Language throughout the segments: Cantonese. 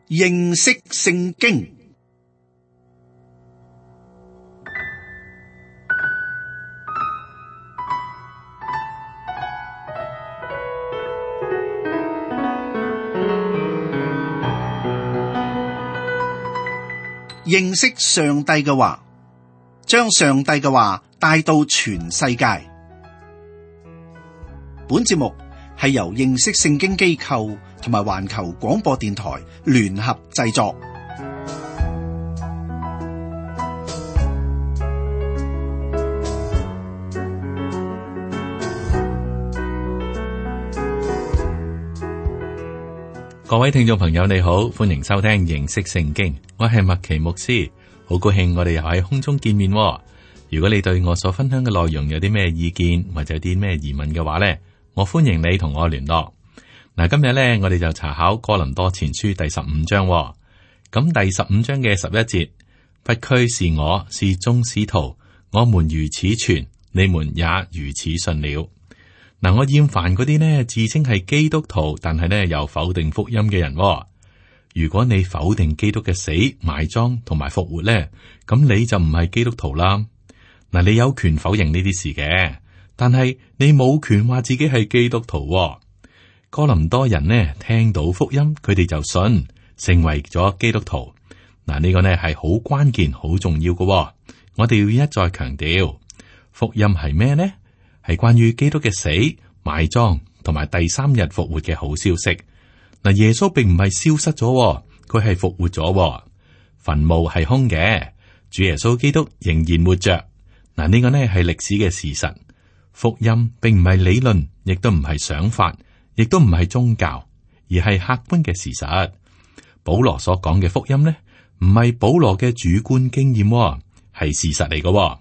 認識聖經。認識上帝嘅話，將上帝嘅話帶到全世界。本節目係由認識聖經機構同埋環球廣播電台聯合製作。各位聽眾朋友，你好，歡迎收聽認識聖經。我係麥奇牧師，好高興我哋又喺空中見面。如果你對我所分享嘅內容有啲咩意見或者有啲咩疑問嘅話呢，我歡迎你同我聯絡。嗱，今日呢，我哋就查考哥林多前書第15章。咁第15章嘅11節，不拘是我是眾使徒，我們如此傳，你們也如此信了。嗱，我厭煩嗰啲呢自稱係基督徒，但係呢又否定福音嘅人。如果你否定基督嘅死、埋葬同埋復活呢，咁你就唔係基督徒啦。嗱，你有權否認呢啲事嘅，但係你冇權話自己係基督徒。哥林多人呢聽到福音，佢哋就信，成為咗基督徒。嗱，呢個呢係好關鍵、好重要嘅。我哋要一再強調，福音係咩呢？係關於基督嘅死、埋葬同埋第三日復活嘅好消息。嗱，耶穌並唔係消失咗，佢係復活咗。墳墓係空嘅，主耶穌基督仍然活着。嗱，呢個呢係歷史嘅事實。福音並唔係理論，亦都唔係想法，亦都唔係宗教，而係客觀嘅事實。保羅所講嘅福音呢，唔係保羅嘅主觀經驗，係事實嚟嘅。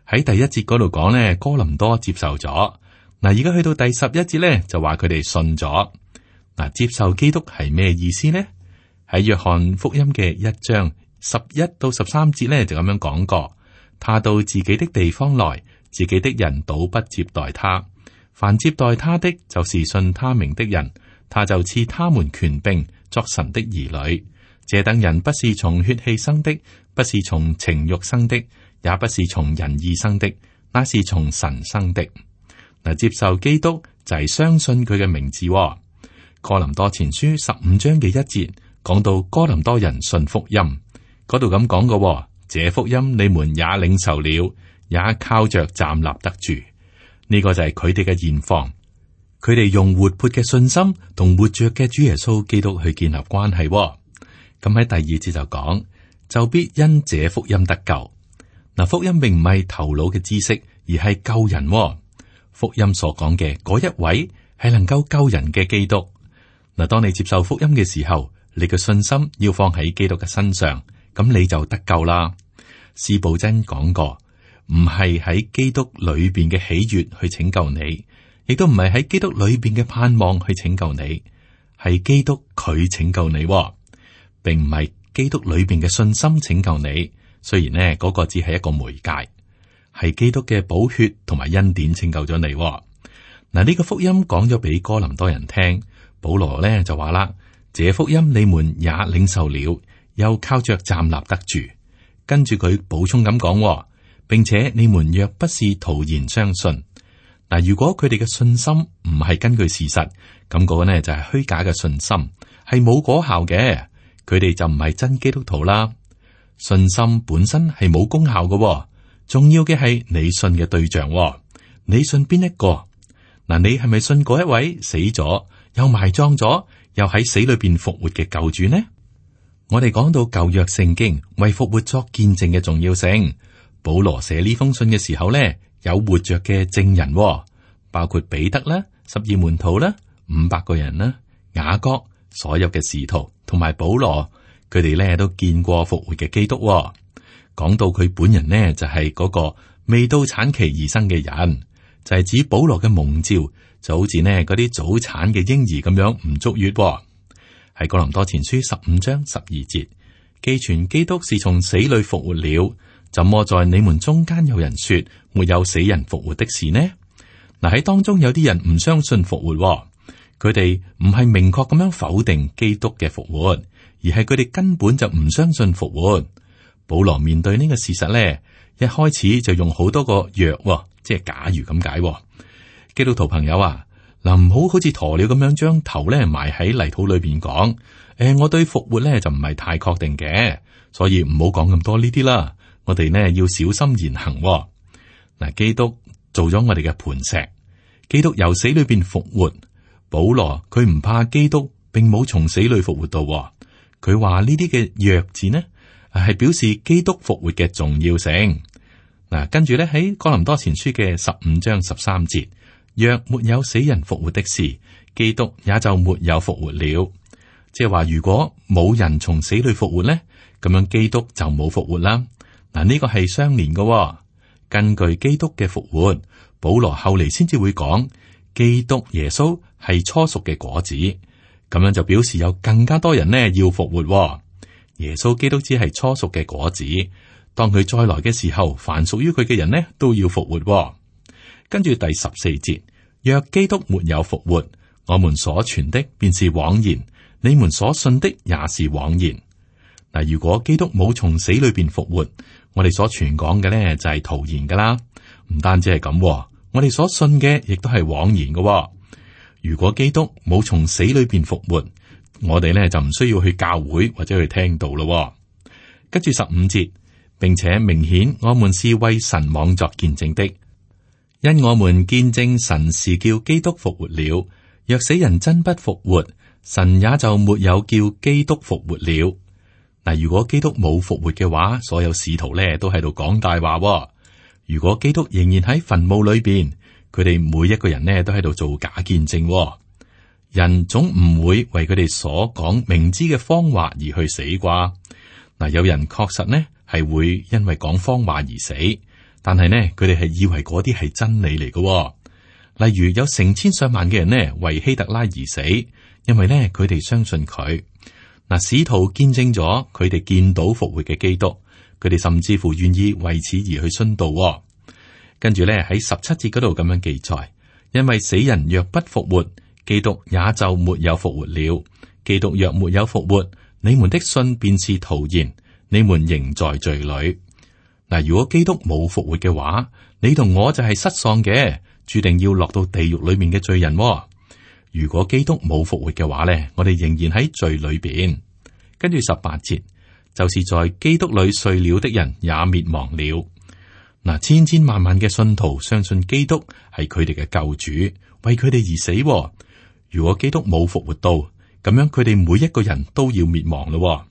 喺第一節嗰度講呢，哥林多接受咗。嗱，而家去到第11節呢，就話佢哋信咗。嗱，接受基督係咩意思呢？喺約翰福音嘅1章11到13節呢，就咁樣講過。他到自己的地方來，自己的人倒不接待他。凡接待他的，就是信他名的人，他就賜他們權柄作神的兒女。這等人不是從血氣生的，不是從情欲生的，也不是從人意生的，那是從神生的。嗱，接受基督就係相信佢嘅名字。哥林多前書15章嘅1節講到哥林多人信福音，嗰度咁講嘅，這福音你們也領受了，也靠着站立得住。呢個就係佢哋嘅現況，佢哋用活潑嘅信心同活着嘅主耶穌基督去建立關係。咁喺第2節就講，就必因這福音得救。嗱，福音並唔係頭腦嘅知識，而係救人。福音所講嘅嗰一位係能夠救人嘅基督。嗱，當你接受福音嘅時候，你嘅信心要放喺基督嘅身上，咁你就得救啦。司布真講過，唔係喺基督裏邊嘅喜悅去拯救你，亦都唔係喺基督裏邊嘅盼望去拯救你，係基督佢拯救你，並唔係基督裏邊嘅信心拯救你。雖然呢嗰個只係一個媒介，係基督嘅寶血同埋恩典拯救咗你。嗱，呢個福音講咗俾哥林多人聽，保羅呢就話啦，這福音你們也領受了，又靠着站立得住。跟住佢補充咁講，並且你們若不是徒然相信，嗱，如果佢哋嘅信心唔係根據事實，咁嗰個呢就係虛假嘅信心，係冇果效嘅，佢哋就唔係真基督徒啦。信心本身係冇功效嘅，重要嘅係你信嘅對象。你信邊一個？嗱，你係咪信嗰一位死咗又埋葬咗又喺死裏邊復活嘅救主呢？我哋講到舊約聖經為復活作見證嘅重要性，保羅寫呢封信嘅時候呢，有活着嘅證人，包括彼得啦、12門徒啦、500個人啦、雅各、所有嘅使徒同埋保羅。佢哋咧都見過復活嘅基督。講到佢本人呢，就係嗰個未到產期而生嘅人，就係指保羅嘅蒙召，就好似呢嗰啲早產嘅嬰兒咁樣唔足月。喺哥林多前書15章12節，既傳基督是從死裏復活了，怎麼在你們中間有人說沒有死人復活的事呢？嗱，喺當中有啲人唔相信復活，佢哋唔係明確咁樣否定基督嘅復活，而係佢哋根本就唔相信復活。保羅面對呢個事實咧，一開始就用好多個若，即係假如咁解。基督徒朋友啊，嗱，唔好好似鴕鳥咁樣將頭咧埋喺泥土裏邊講，我對復活咧就唔係太確定嘅，所以唔好講咁多呢啲啦。我哋呢要小心言行。嗱，基督做咗我哋嘅磐石，基督由死裏邊復活。保羅佢唔怕基督並冇從死裏復活到，佢話呢啲嘅若字呢係表示基督復活嘅重要性。嗱，跟住咧喺哥林多前書嘅15章13節，若沒有死人復活的事，基督也就沒有復活了。即係話，如果冇人從死裏復活咧，咁樣基督就冇復活啦。嗱，呢個係相連嘅。根據基督嘅復活，保羅後嚟先至會講，基督耶穌係初熟嘅果子，咁樣就表示有更加多人呢要復活。耶穌基督只係初熟嘅果子，當佢再來嘅時候，凡屬於佢嘅人呢都要復活。跟住第14節，若基督沒有復活，我們所傳的便是枉然，你們所信的也是枉然。嗱，如果基督冇從死裏邊復活，我哋所傳講嘅呢就係徒然噶啦。唔單止係咁，我哋所信嘅亦都係枉然嘅。如果基督冇從死裏邊復活，我哋呢就唔需要去教會或者去聽道咯。跟住15節，並且明顯我們是為神妄作見證的，因我們見證神是叫基督復活了。若死人真不復活，神也就沒有叫基督復活了。嗱，如果基督冇復活嘅話，所有使徒咧都喺度講大話。如果基督仍然喺墳墓裏邊，佢哋每一個人呢都喺度做假見證。人總唔會為佢哋所講明知嘅謊話而去死啩。嗱，有人確實呢係會因為講謊話而死，但係呢佢哋係以為嗰啲係真理嚟嘅。例如有成千上萬嘅人呢為希特拉而死，因為呢佢哋相信佢。嗱，使徒見證咗佢哋見到復活嘅基督，佢哋甚至乎願意為此而去殉道。跟住咧喺17節嗰度咁樣記載，因為死人若不復活，基督也就沒有復活了。基督若沒有復活，你們的信便是徒然，你們仍在罪裏。嗱，如果基督冇復活嘅話，你同我就係失喪嘅，注定要落到地獄裏面嘅罪人。如果基督冇復活嘅話咧，我哋仍然喺罪裏邊。跟住18節，就是在基督裏睡了的人也滅亡了。嗱，千千萬萬嘅信徒相信基督係佢哋嘅救主，為佢哋而死。如果基督冇復活到，咁樣佢哋每一個人都要滅亡咯。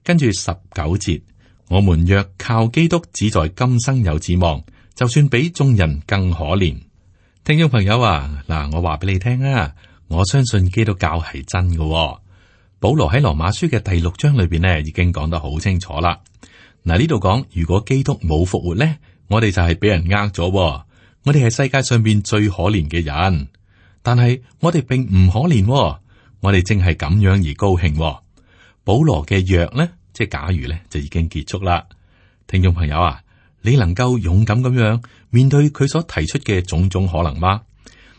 跟住19節，我們若靠基督只在今生有指望，就算比眾人更可憐。聽眾朋友啊，嗱，我話俾你聽啊，我相信基督教係真嘅。保羅喺羅馬書嘅第6章裏邊呢，已經講得好清楚啦。嗱，呢度講，如果基督冇復活呢，我哋就係俾人呃咗。我哋係世界上邊最可憐嘅人，但係我哋並唔可憐，我哋正係咁樣而高興。保羅嘅若呢，即係假如呢，就已經結束啦。聽眾朋友啊，你能夠勇敢咁樣面對佢所提出嘅種種可能嗎？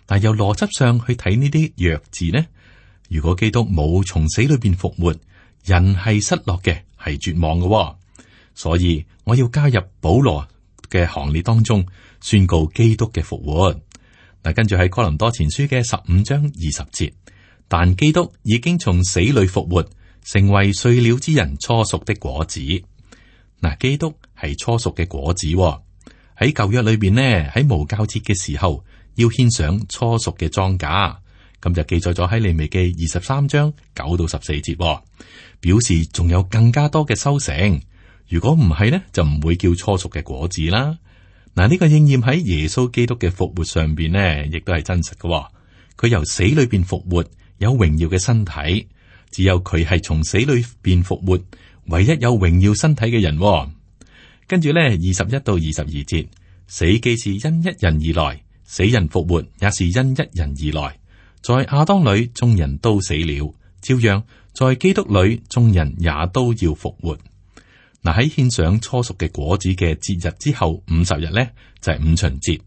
但由邏輯上去睇呢啲若字呢，如果基督冇從死裏邊復活，人係失落嘅，係絕望嘅。所以我要加入保羅嘅行列當中，宣告基督嘅復活。嗱，跟住喺哥林多前書嘅15章20節，但基督已經從死裏復活，成為睡了之人初熟的果子。嗱，基督係初熟嘅果子。喺舊約裏邊呢，喺無酵節嘅時候要獻上初熟嘅莊稼，咁就記載咗喺利未記23章9到14節，表示仲有更加多嘅收成。如果唔係呢，就唔會叫初熟嘅果子啦。嗱，呢個應驗喺耶穌基督嘅復活上邊呢，亦都係真實嘅。佢由死裏邊復活，有榮耀嘅身體，只有佢係從死裏邊復活，唯一有榮耀身體嘅人。跟住呢21到22節，死既是因一人而來，死人復活也是因一人而來。在亞當裏眾人都死了，照樣在基督裏眾人也都要復活。嗱，喺獻上初熟嘅果子嘅節日之後50日呢，就係五旬節。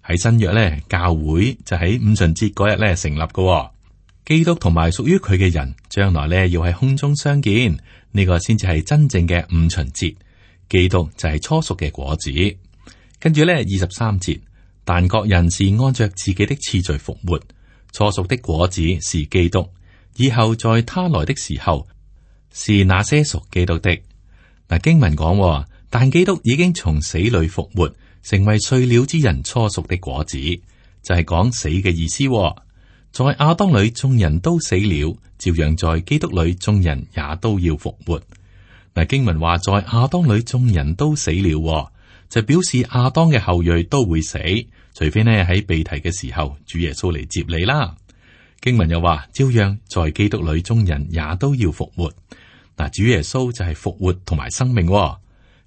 喺新約呢，教會就喺五旬節嗰日呢成立嘅。基督同埋屬於佢嘅人，將來咧要喺空中相見，呢個先至係真正嘅五旬節。基督就係初熟嘅果子。跟住咧23節，但各人是按着自己的次序復活，初熟的果子是基督，以後在他來的時候，是那些屬基督的。嗱，經文講，但基督已經從死裏復活，成為睡了之人初熟的果子，就係講死嘅意思。在亞當裏眾人都死了，照樣在基督裏眾人也都要復活。嗱，經文話在亞當裏眾人都死了，就表示亞當嘅後裔都會死，除非呢喺被提嘅時候主耶穌嚟接你啦。經文又話照樣在基督裏眾人也都要復活。嗱，主耶穌就係復活同埋生命，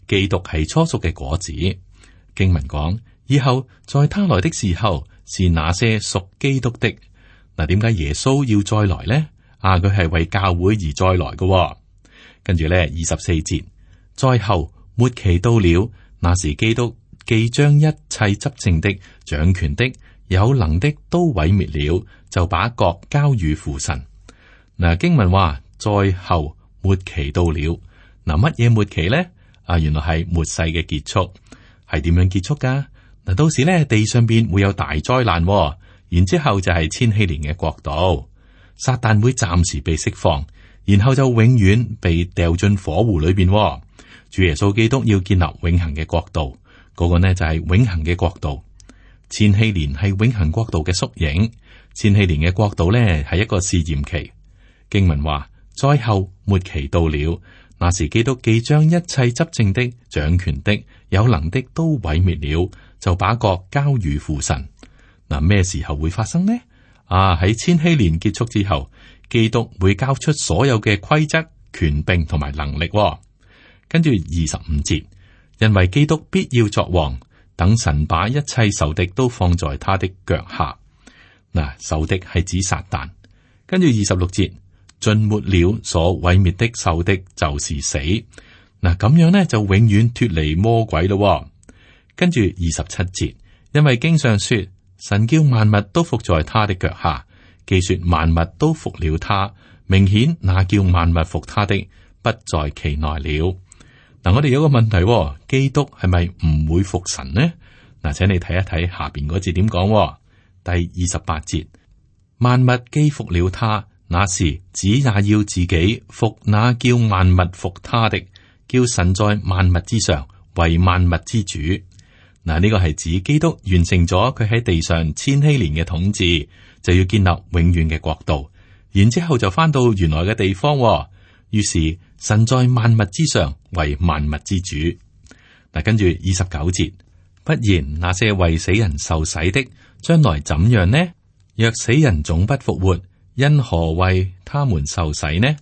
基督係初熟嘅果子。經文講以後在他來的時候，是那些屬基督的。嗱，點解耶穌要再來呢？佢係為教會而再來嘅。跟住咧24節，再後末期到了，那時基督既將一切執政的、掌權的、有能的都毀滅了，就把國交與父神。嗱，經文話再後末期到了，嗱，乜嘢末期呢？原來係末世嘅結束。係點樣結束噶？嗱，到時咧地上邊會有大災難，然之後就係千禧年嘅國度，撒旦會暫時被釋放，然後就永遠被掉進火湖裏邊。主耶穌基督要建立永恆嘅國度，嗰個呢就係永恆嘅國度。千禧年係永恆國度嘅縮影，千禧年嘅國度呢係一個試驗期。經文話災後末期到了，那時基督既將一切執政的、掌權的、有能的都毀滅了，就把國交與父神。嗱，咩時候會發生呢？喺千禧年結束之後，基督會交出所有嘅規則、權柄同埋能力。跟住25節，因為基督必要作王，等神把一切仇敵都放在他的腳下。嗱，仇敵係指撒旦。跟住26節，盡沒了所毀滅的仇敵就是死。嗱，咁樣呢就永遠脫離魔鬼咯。跟住27節，因為經上說，神叫萬物都服在他的腳下，既說萬物都服了他，明顯那叫萬物服他的不在其內了。嗱，我哋有個問題，基督係咪唔會服神呢？嗱，請你睇一睇下邊嗰字點講。第28節，萬物既服了他，那時子也要自己服那叫萬物服他的，叫神在萬物之上為萬物之主。嗱，呢個係指基督完成咗佢喺地上千禧年嘅統治，就要建立永遠嘅國度，然之後就翻到原來嘅地方。於是神在萬物之上為萬物之主。嗱，跟住29節，不然那些為死人受洗的，將來怎樣呢？若死人總不復活，因何為他們受洗呢？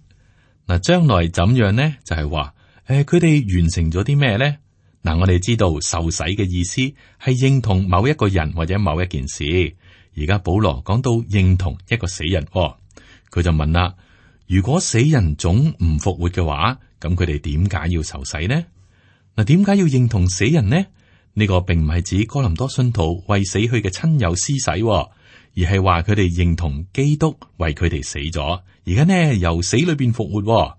嗱，將來怎樣呢？就係話，佢哋完成咗啲咩呢？嗱，我哋知道受洗嘅意思係認同某一個人或者某一件事。而家保羅講到認同一個死人，佢就問啦：如果死人總唔復活嘅話，咁佢哋點解要受洗呢？嗱，點解要認同死人呢？呢個並唔係指哥林多信徒為死去嘅親友施洗，而係話佢哋認同基督為佢哋死咗，而家呢由死裏邊復活。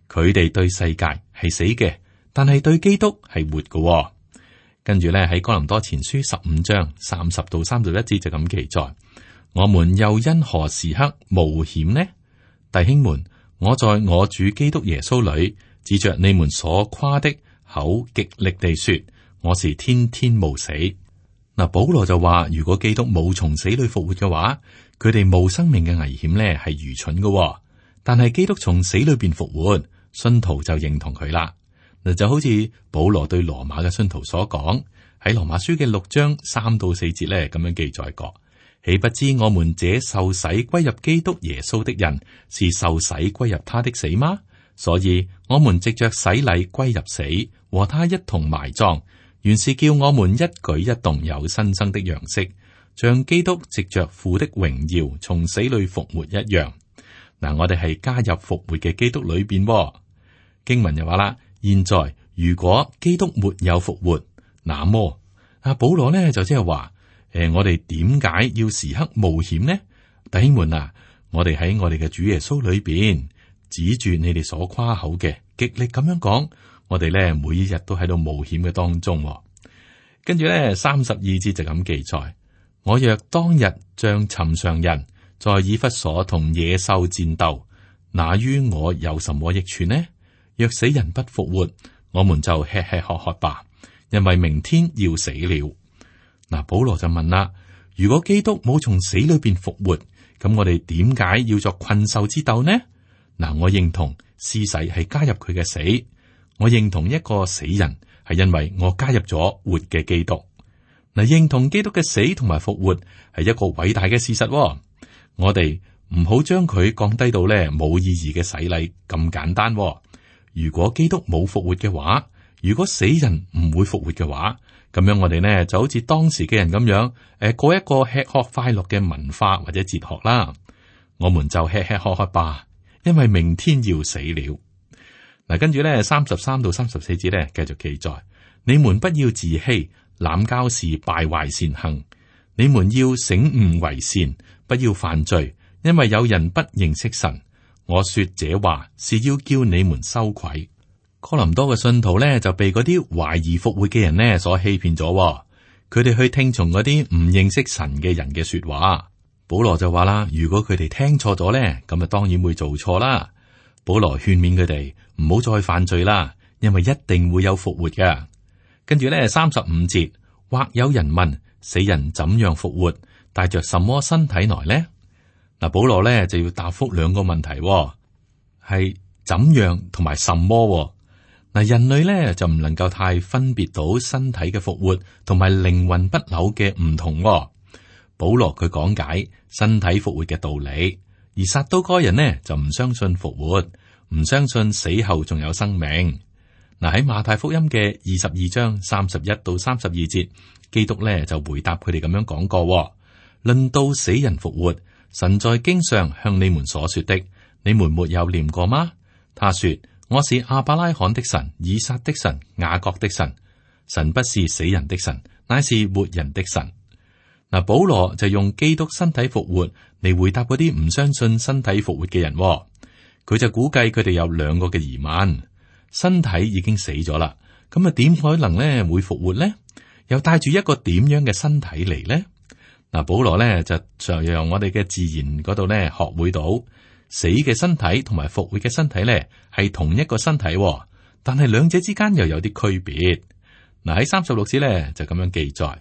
佢哋對世界係死嘅，但係對基督係活嘅。跟住咧喺哥林多前書15章30到31節就咁記載：我們又因何時刻冒險呢？弟兄們，我在我主基督耶穌裏，指着你們所誇的口極力地說，我是天天冒死。嗱，保羅就話，如果基督冇從死裏復活嘅話，佢哋冇生命嘅危險咧係愚蠢嘅。但係基督從死裏邊復活，信徒就認同佢啦。嗱，就好似保羅對羅馬嘅信徒所講，喺羅馬書嘅6章3到4節咧咁樣記載過。豈不知我們這受洗歸入基督耶穌的人，是受洗歸入他的死嗎？所以我們藉着洗禮歸入死，和他一同埋葬，原是叫我們一舉一動有新生的樣式，像基督藉着父的榮耀從死裏復活一樣。嗱，我哋係加入復活嘅基督裏邊。經文又話啦，現在如果基督沒有復活，那麼保羅呢就即係話，我哋點解要時刻冒險呢？弟兄們啊，我哋喺我哋嘅主耶穌裏邊指住你哋所誇口嘅，極力咁樣講，我哋咧每一日都喺度冒險嘅當中。跟住咧32節就咁記載：我若當日像尋常人在以弗所同野獸戰鬥，那於我有什麼益處呢？若死人不復活，我們就吃吃喝喝吧，因為明天要死了。嗱，保羅就問啦：如果基督冇從死裏邊復活，咁我哋點解要作困獸之鬥呢？嗱，我認同施洗係加入佢嘅死，我認同一個死人係因為我加入咗活嘅基督。嗱，認同基督嘅死同埋復活係一個偉大嘅事實。我哋唔好將佢降低到咧冇意義嘅洗禮咁簡單。如果基督冇復活嘅話，如果死人唔會復活嘅話，咁樣我哋呢就好似當時嘅人咁樣，過一個吃喝快樂嘅文化或者哲學啦。我們就吃吃喝喝吧，因為明天要死了。嗱，跟住咧33到34節咧繼續記載：你們不要自欺，濫交是敗壞善行。你們要醒悟為善，不要犯罪，因為有人不認識神。我說這話是要叫你們羞愧。哥林多嘅信徒咧就被嗰啲懷疑復活嘅人呢所欺騙咗，佢哋去聽從嗰啲唔認識神嘅人嘅說話。保羅就話啦：如果佢哋聽錯咗咧，咁啊當然會做錯啦。保羅勸勉佢哋唔好再犯罪啦，因為一定會有復活㗎。跟住咧35節，或有人問：死人怎樣復活？帶着什麼身體來呢？嗱，保羅咧就要答覆兩個問題，係怎樣同埋什麼。嗱，人類咧就唔能夠太分別到身體嘅復活同埋靈魂不朽嘅唔同。保羅佢講解身體復活嘅道理，而撒都該人呢就唔相信復活，唔相信死後仲有生命。嗱，喺馬太福音嘅22章31到32節，基督咧就回答佢哋咁樣講過：論到死人復活，神在經上向你們所說的，你們沒有念過嗎？他說：我是亞伯拉罕的神、以撒的神、雅各的神。神不是死人的神，乃是活人的神。嗱，保羅就用基督身體復活嚟回答嗰啲唔相信身體復活嘅人。佢就估計佢哋有兩個嘅疑問：身體已經死咗啦，咁啊點可能咧會復活咧？又帶住一個點樣嘅身體嚟咧？嗱，保羅咧就由我哋嘅自然嗰度咧學會到死嘅身體同埋復活嘅身體咧係同一個身體，但係兩者之間又有啲區別。嗱，喺36節咧就咁樣記載：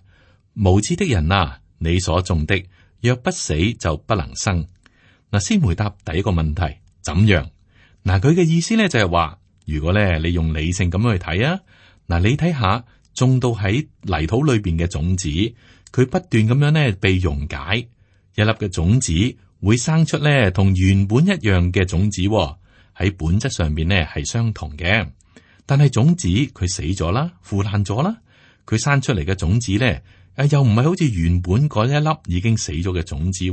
無知的人啊，你所種的若不死就不能生。嗱，先回答第一個問題，怎樣？嗱，佢嘅意思咧就係話，如果咧你用理性咁樣去睇啊，嗱，你睇下種到喺泥土裏邊嘅種子，佢不斷咁樣咧被溶解，一粒嘅種子會生出咧同原本一樣嘅種子，喺本質上面咧係相同嘅。但係種子佢死咗啦，腐爛咗啦，佢生出嚟嘅種子咧，又唔係好似原本嗰一粒已經死咗嘅種子，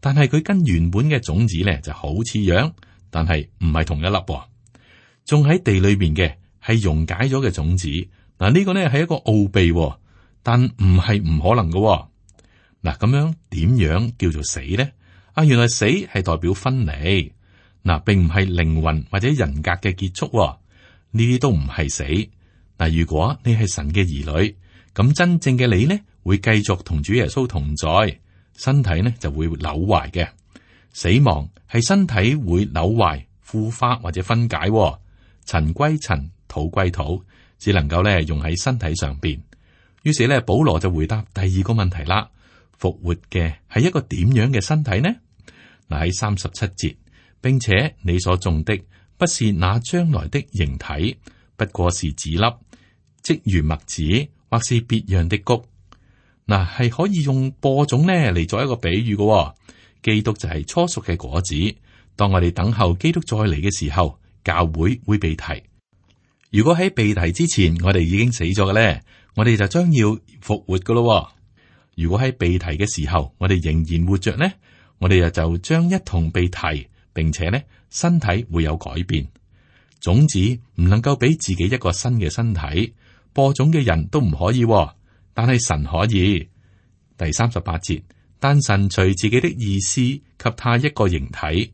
但係佢跟原本嘅種子咧就好似樣，但係唔係同一粒。種喺地裏邊嘅係溶解咗嘅種子，嗱，呢個咧係一個奧秘，但唔係唔可能嘅。嗱，咁樣點樣叫做死咧？原來死係代表分離，嗱，並唔係靈魂或者人格嘅結束，呢啲都唔係死。嗱，如果你係神嘅兒女，咁真正嘅你呢，會繼續同主耶穌同在，身體呢就會朽壞嘅。死亡係身體會朽壞、腐化或者分解，塵歸塵，土歸土，只能夠咧用喺身體上邊。於是咧，保羅就回答第二個問題啦：復活嘅係一個點樣嘅身體呢？嗱，喺37節，並且你所種的不是那將來的形體，不過是籽粒，即如麥子，或是別樣的穀。嗱，係可以用播種呢嚟做一個比喻嘅。基督就係初熟嘅果子。當我哋等候基督再嚟嘅時候，教會會被提。如果喺被提之前，我哋已經死咗嘅咧，我哋就將要復活噶咯。如果喺被提嘅時候，我哋仍然活着呢，我哋就將一同被提，並且呢身體會有改變。種子唔能夠俾自己一個新嘅身體，播種嘅人都唔可以，但係神可以。第38節，但神隨自己的意思給他一個形體，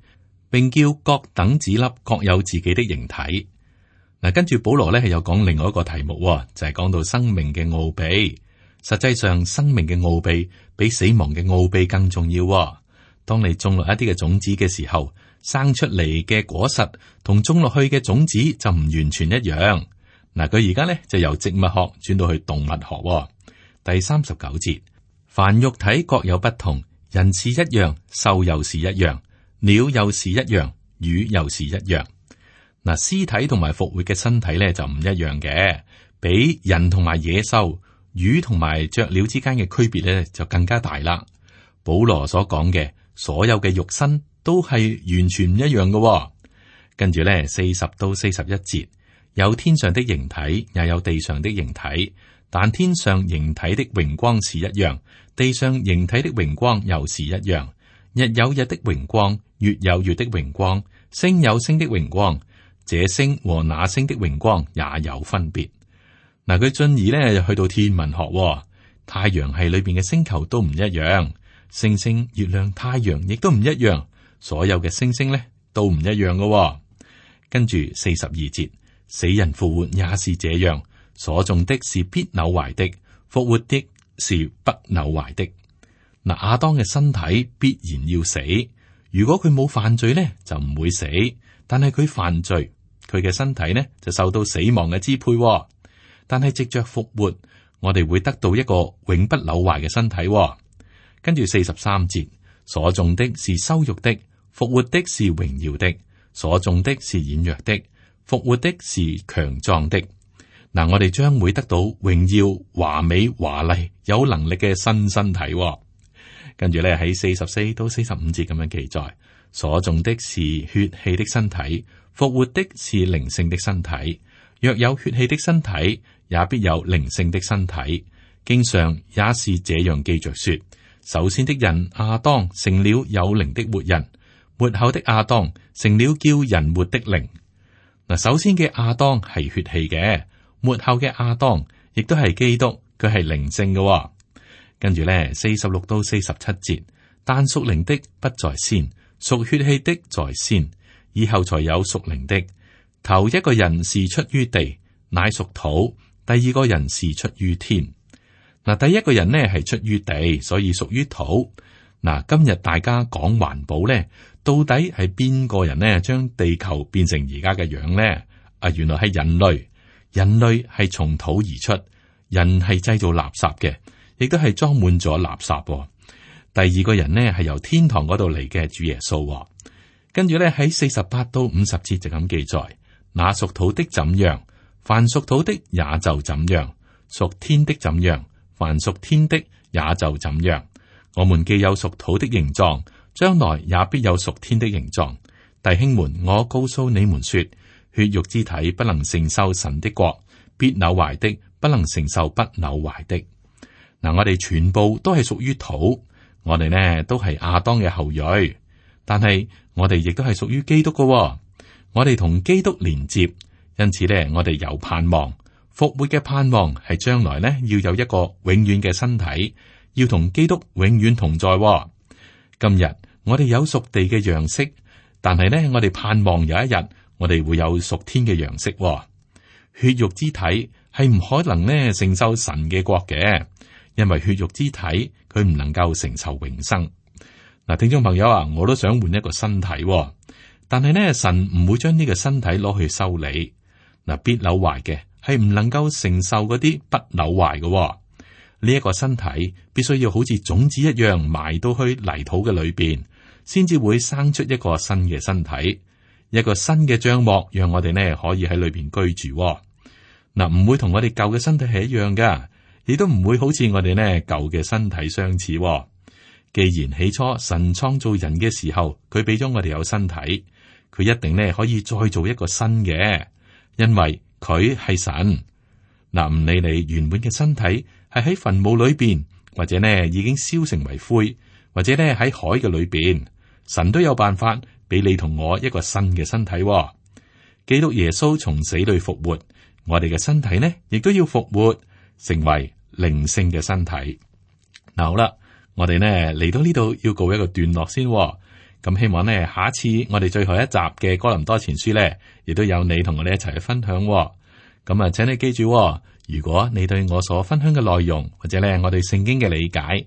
並叫各等子粒各有自己的形體。嗱，跟住保羅咧係有講另外一個題目，就係講到生命嘅奧秘。實際上，生命嘅奧秘比死亡嘅奧秘更重要。當你種落一啲嘅種子嘅時候，生出嚟嘅果實同種落去嘅種子就唔完全一樣。嗱，佢而家咧就由植物學轉到去動物學。第39節，凡肉體各有不同，人是一樣，獸又是一樣，鳥又是一樣，魚又是一樣。嗱，屍體同埋復活嘅身體咧就唔一樣嘅，比人同埋野獸、魚同埋雀鳥之間嘅區別咧就更加大啦。保羅所講嘅所有嘅肉身都係完全唔一樣嘅。跟住咧40到41節，有天上的形體，也有地上的形體，但天上形體的榮光是一樣，地上形體的榮光又是一樣。日有日的榮光，月有月的榮光，星有星的榮光，這星和那星的榮光也有分別。嗱，佢進而咧去到天文學，太陽系裏邊嘅星球都唔一樣，星星、月亮、太陽亦都唔一樣，所有嘅星星咧都唔一樣嘅。跟住42節，死人復活也是這樣，所種的是必朽壞的，復活的是不朽壞的。嗱，亞當嘅身體必然要死，如果佢冇犯罪咧就唔會死，但係佢犯罪，佢嘅身體呢就受到死亡嘅支配。但係藉着復活，我哋會得到一個永不朽壞嘅身體。跟住43節，所種的是羞辱的，復活的是榮耀的；所種的是軟弱的，復活的是強壯的。嗱，我哋將會得到榮耀、華美、華麗、有能力嘅新身體。跟住咧喺44到45節咁樣記載，所種的是血氣的身體，復活的是靈性的身體。若有血氣的身體，也必有靈性的身體。經上也是這樣記着說：首先的人亞當成了有靈的活人，末後的亞當成了叫人活的靈。嗱，首先嘅亞當係血氣嘅，末後嘅亞當亦都係基督，佢係靈性嘅。跟住咧46到47節，但屬靈的不在先，屬血氣的在先，以後才有屬靈的。頭一個人是出於地，乃屬土；第二個人是出於天。嗱，第一個人呢係出於地，所以屬於土。嗱，今日大家講環保咧，到底係邊個人呢將地球變成而家嘅樣咧？原來係人類。人類係從土而出，人係製造垃圾嘅，亦都係裝滿咗垃圾。第二個人呢係由天堂嗰度嚟嘅主耶穌。跟住咧喺48到50節就咁記載。那屬土的怎樣，凡屬土的也就怎樣；屬天的怎樣，凡屬天的也就怎樣。我們既有屬土的形狀，將來也必有屬天的形狀。弟兄們，我告訴你們說，血肉之體不能承受神的國，必朽壞的不能承受不朽壞的。嗱，我哋全部都係屬於土，我哋呢都係亞當嘅後裔，但係我哋亦都係屬於基督嘅。我哋同基督連接，因此咧，我哋有盼望。復活嘅盼望係將來咧要有一個永遠嘅身體，要同基督永遠同在。今日我哋有屬地嘅樣式，但係咧我哋盼望有一日我哋會有屬天嘅樣式。血肉之體係唔可能咧承受神嘅國嘅，因為血肉之體佢唔能夠承受永生。嗱，聽眾朋友啊，我都想換一個身體。但係呢，神唔會將呢個身體攞去修理。嗱，必朽壞嘅係唔能夠承受嗰啲不朽壞嘅。呢一個身體必須要好似種子一樣埋到去泥土嘅裏邊，先至會生出一個新嘅身體，一個新嘅帳幕，讓我哋呢可以喺裏邊居住。嗱，唔會同我哋舊嘅身體係一樣噶，亦都唔會好似我哋呢舊嘅身體相似。既然起初神創造人嘅時候，佢俾咗我哋有身體。佢一定咧可以再做一個新嘅，因為佢係神。嗱，唔理你原本嘅身體係喺墳墓裏邊，或者呢已經燒成為灰，或者呢喺海嘅裏邊，神都有辦法俾你同我一個新嘅身體。基督耶穌從死裏復活，我哋嘅身體呢亦都要復活，成為靈性嘅身體。嗱，好啦，我哋呢嚟到呢度要告一個段落先。咁希望呢，下一次我哋最後一集嘅哥林多前書呢，亦都有你同我哋一齊去分享。咁啊，請你記住，如果你對我所分享嘅內容，或者呢我對聖經嘅理解，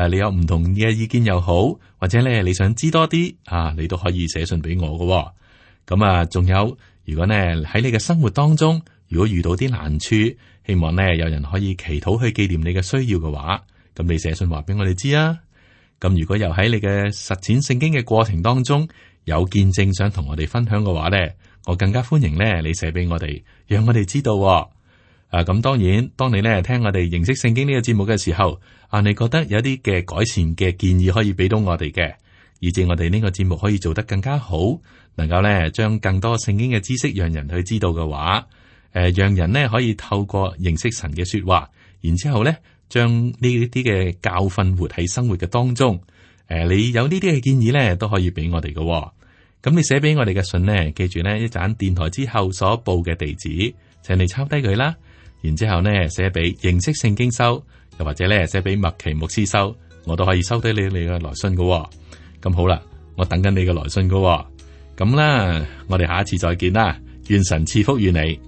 你有唔同嘅意見又好，或者呢你想知多啲啊，你都可以寫信俾我嘅。咁啊，仲有，如果呢喺你嘅生活當中，如果遇到啲難處，希望呢有人可以祈禱去紀念你嘅需要嘅話，咁你寫信話俾我哋知啊。咁如果又喺你嘅實踐聖經嘅過程當中有見證想同我哋分享嘅話呢，我更加歡迎呢你寫俾我哋，讓我哋知道。咁當然，當你呢聽我哋認識聖經呢個節目嘅時候，你覺得有啲嘅改善嘅建議可以俾到我哋嘅，以致我哋呢個節目可以做得更加好，能夠呢將更多聖經嘅知識讓人去知道嘅話，讓人呢可以透過認識神嘅說話，然之後呢將呢啲嘅教訓活喺生活嘅當中。你有呢啲嘅建議呢，都可以俾我哋嘅。咁你寫俾我哋嘅信呢，記住呢一盞電台之後所報嘅地址，請你抄低佢啦。然之後呢寫俾認識聖經收，又或者呢寫俾麥奇牧師收，我都可以收低你嘅來信嘅。咁好啦，我等緊你嘅來信嘅。咁啦，我哋下一次再見啦，願神賜福於你。